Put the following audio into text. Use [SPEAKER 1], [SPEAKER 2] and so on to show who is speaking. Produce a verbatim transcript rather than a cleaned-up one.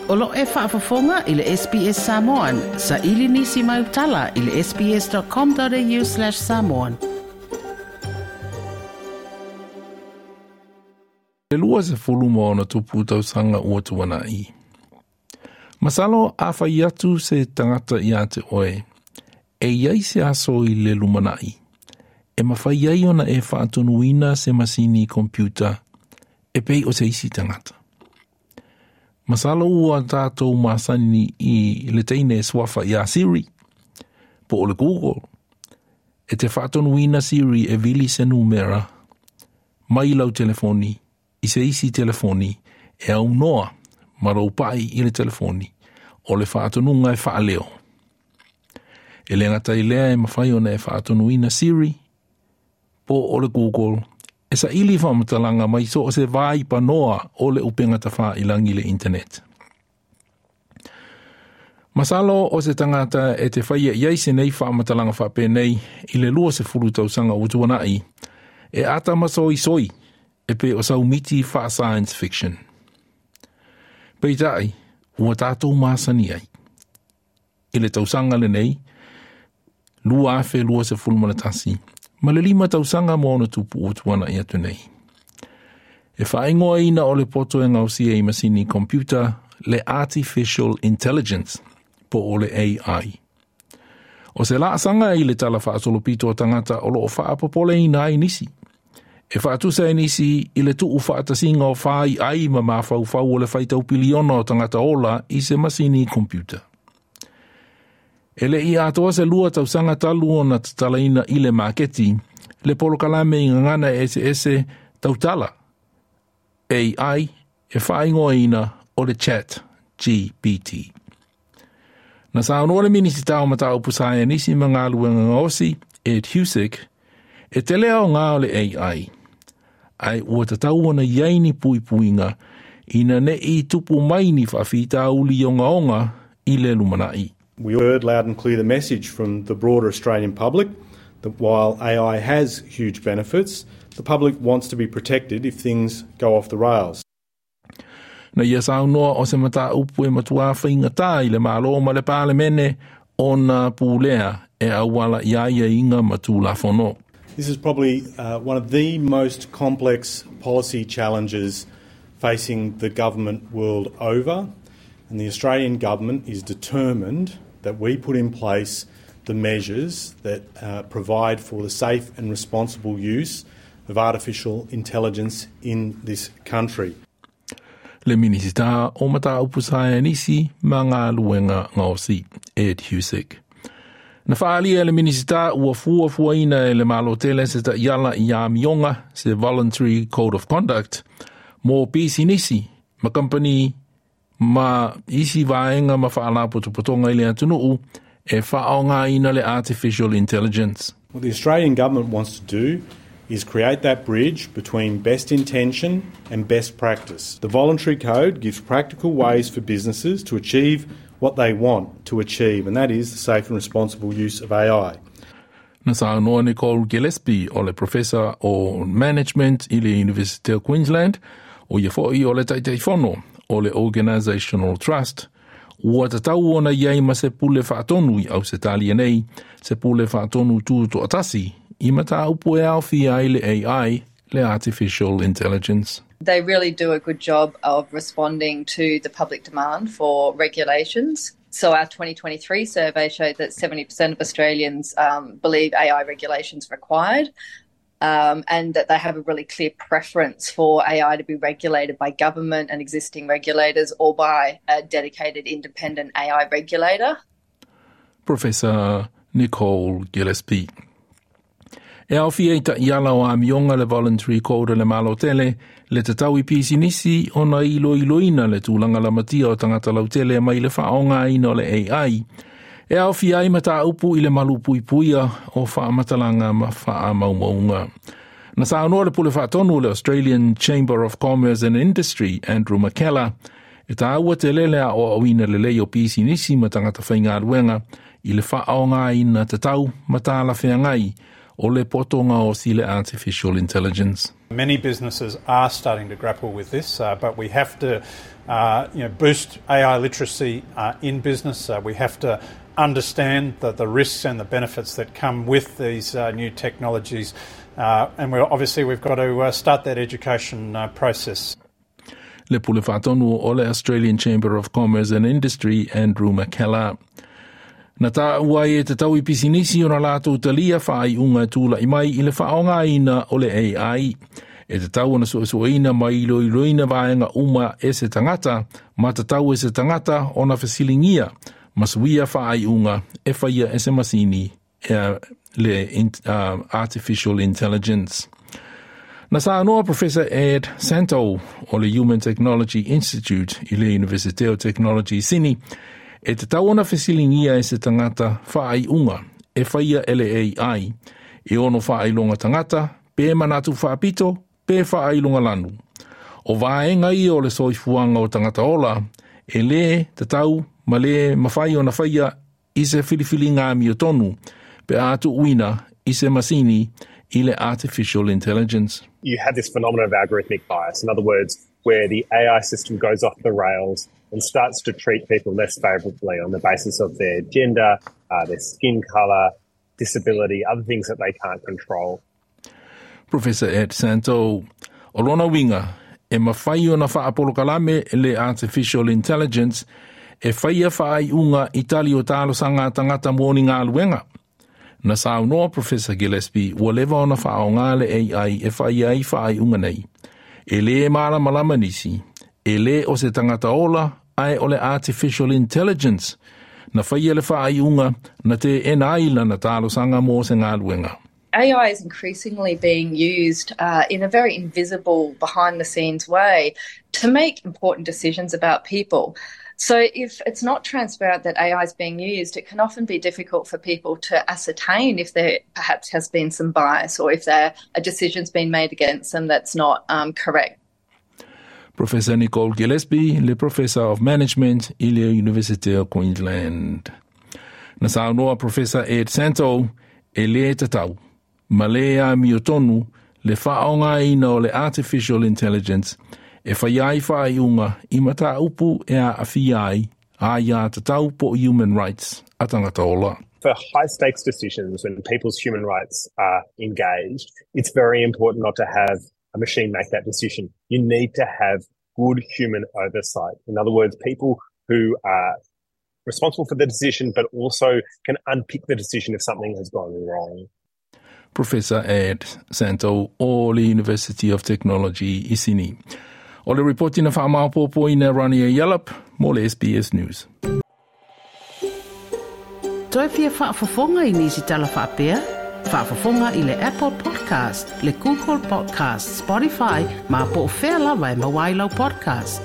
[SPEAKER 1] O lo e faafofoga i le S B S Samoan, sa ili nisi mai utala i le S B S dot com dot A U slash samoan.
[SPEAKER 2] Le lua sefulu ma ona tupu tausaga ua tuana'i. Masalo a fai atu se tagata ia te oe, e iai se aso i le lumana'i, e mafai ai ona e faatonuina se masini computer e pei o se isi tagata. Masalo ua tatou masani i le teine e suafa ia Siri, po o le Google, e te faatonuina Siri e vili se numera mai lau telefoni i se isi telefoni e aunoa ma lou pai i le telefoni o le faatonuga e faaleo. E le gata i lea e mafai ona e faatonuina Siri po o le Google e saili faamatalaga mai so o se vai panoa o le upega tafailagi le internet. Masalo o se tagata e te faia i ai se nei faamatalaga faapenei i le lua sefulu tausaga ua tuana'i, e ata masoisoi e pei o sau miti faa-science fiction. Peitai, ua tatou masani ai. I le tausaga lenei, lua afe lua sefulu ma le tasi, ma le lima tausaga ma ona tupu ua tuana'i atu nei. E faaigoaina o le poto e gaosia i masini computer le Artificial Intelligence, po o le A I. O se laasaga i le tala faasolopito o tagata o loo faapopoleina ai nisi. E faatusa e nisi i le tuu faatasiga o fai ai ma mafaufau o le faitau piliona o tagata ola i se masini computer. E le i atoa se lua tausaga talu ona tatalaina i le maketi, le polokalame i gagana eseese tautala A I e faaigoaina o le Chat G P T. Na saunoa le Minisita o Mataupu Saienisi ma Galuega Gaosi, Ed Husic, e tele aoga o le A I, ai ua tatau ona i ai ni puipuiga ina ne i tupu mai ni faafitauli ogaoga i le lumana'i.
[SPEAKER 3] We heard loud and clear the message from the broader Australian public that while A I has huge benefits, the public wants to be protected if things go off the rails.
[SPEAKER 2] Na ia saunoa o se mataupu e matua faigata i le Malo ma le Palemene ona pulea e auala i aiaiga ma tulafono.
[SPEAKER 3] This is probably uh, one of the most complex policy challenges facing the government world over. And the Australian government is determined that we put in place the measures that uh, provide for the safe and responsible use of artificial intelligence in this country.
[SPEAKER 2] Le Minisita o Mataupu Saienisi ma Galuega Gaosi, Ed Husic. Na faalia le Minisita ua fuafuaina e le Malo tele se taiala i amioga se Voluntary Code of Conduct mo pisinisi ma kampani ma isi vaega ma faalapotopotoga i le atunuu e faaaogaina le artificial intelligence.
[SPEAKER 3] What the Australian government wants to do is create that bridge between best intention and best practice. The voluntary code gives practical ways for businesses to achieve what they want to achieve, and that is the safe and responsible use of A I.
[SPEAKER 2] Na saunoa Nicole Gillespie o le Professor o Management i le University of Queensland, o ia foi o le Taitaifono o le Organisational Trust, ua tatau ona i ai ma se pule faatonu i Ausetalia nei, se pule faatonu tutoatasi, i mataupu e aofia ai le A I, le Artificial Intelligence.
[SPEAKER 4] They really do a good job of responding to the public demand for regulations. So our twenty twenty-three survey showed that seventy percent of Australians um, believe A I regulations required, Um, and that they have a really clear preference for A I to be regulated by government and existing regulators or by a dedicated independent A I regulator.
[SPEAKER 2] Professor Nicole Gillespie. E aofia i taiala o amioga le Voluntary Code le Malo tele, le tatau i pisinisi ona iloiloina le tulaga lamatia o tagata lautele mai le faaaogaina o le A I. E aofia ai mataupu i le malupuipuia o faamatalaga ma faamaumauga. Na saunoa le pule faatonu le Australian Chamber of Commerce and Industry, Andrew McKellar, e taua tele le aoaoina lelei o pisinisi ma tagata faigaluega i le faaaogaina tatau ma talafeagai o le poto gaosi le artificial intelligence.
[SPEAKER 5] Many businesses are starting to grapple with this, uh, but we have to uh, you know, boost A I literacy uh, in business. Uh, we have to understand the, the risks and the benefits that come with these uh, new technologies. Uh, and we're, obviously we've got to uh, start that education uh, process.
[SPEAKER 2] Le pule whaatonu o le Australian Chamber of Commerce and Industry, Andrew McKellar. Na tā ua e te tau i pisinisi o na lātou talia whaai unga tūla i mai i le whaongaina o le A I. E te tau ona suesueina mai iloiloina vaenga uma e se tangata, ma te tau e se tangata o na whasilingia, masuia whaai unga e whaia e se masini e le in, uh, Artificial Intelligence. Na saanoa Professor Ed Santow o le Human Technology Institute i le University of Technology Sydney, e te tau ona whasilingia e se tangata whaai unga e whaia e le A I, e ono whaailonga tangata, pe manatu whaapito, pe whaailonga lanu. O vaenga ia o le soifuanga o tangata ola, e le te tau ma le mawhai o na whaia i se whiliwhilinga mio tonu, pe atu uina i se masini i le artificial intelligence.
[SPEAKER 6] You have this phenomenon of algorithmic bias. In other words, where the A I system goes off the rails and starts to treat people less favourably on the basis of their gender, uh, their skin colour, disability, other things that they can't control.
[SPEAKER 2] Professor Ed Santow, o lona winga, e mawhai o na whaapolokalame le artificial intelligence e whaia whaai unga i tali o talo sanga tangata mōni ngā luenga. Na saunoa Professor Gillespie, ua leva ona whaonga le A I e whai ai whaai unga nei. E le mala malama nisi, e le o se tangata ola, ai o le artificial intelligence. Na whaia le whaai unga, na te ena aila na talo sanga mō se ngā luenga.
[SPEAKER 4] A I is increasingly being used uh, in a very invisible, behind-the-scenes way to make important decisions about people. So if it's not transparent that A I is being used, it can often be difficult for people to ascertain if there perhaps has been some bias or if there a decision's been made against them that's not um, correct.
[SPEAKER 2] Professor Nicole Gillespie, le Professor of Management i le University of Queensland. Na saunoa Professor Ed Santow e le tatau, ma le a miotonu le whaongaina o le artificial intelligence e whai ai whai unga i mata upu e a awhi ai a ia tatau po human rights a tangata ola.
[SPEAKER 6] For high-stakes decisions when people's human rights are engaged, it's very important not to have a machine make that decision. You need to have good human oversight. In other words, people who are responsible for the decision but also can unpick the decision if something has gone wrong.
[SPEAKER 2] Professor Ed Santow o le University of Technology i Sydney. O le reporti na whaamaupopo ina Rania Yallop, mō le S B S News.
[SPEAKER 1] Toi fia whaafafonga i nisi tala whaapea? Whaafafonga i le Apple Podcast, le Google Podcast, Spotify, ma po o whea lawa e mawailau podcast.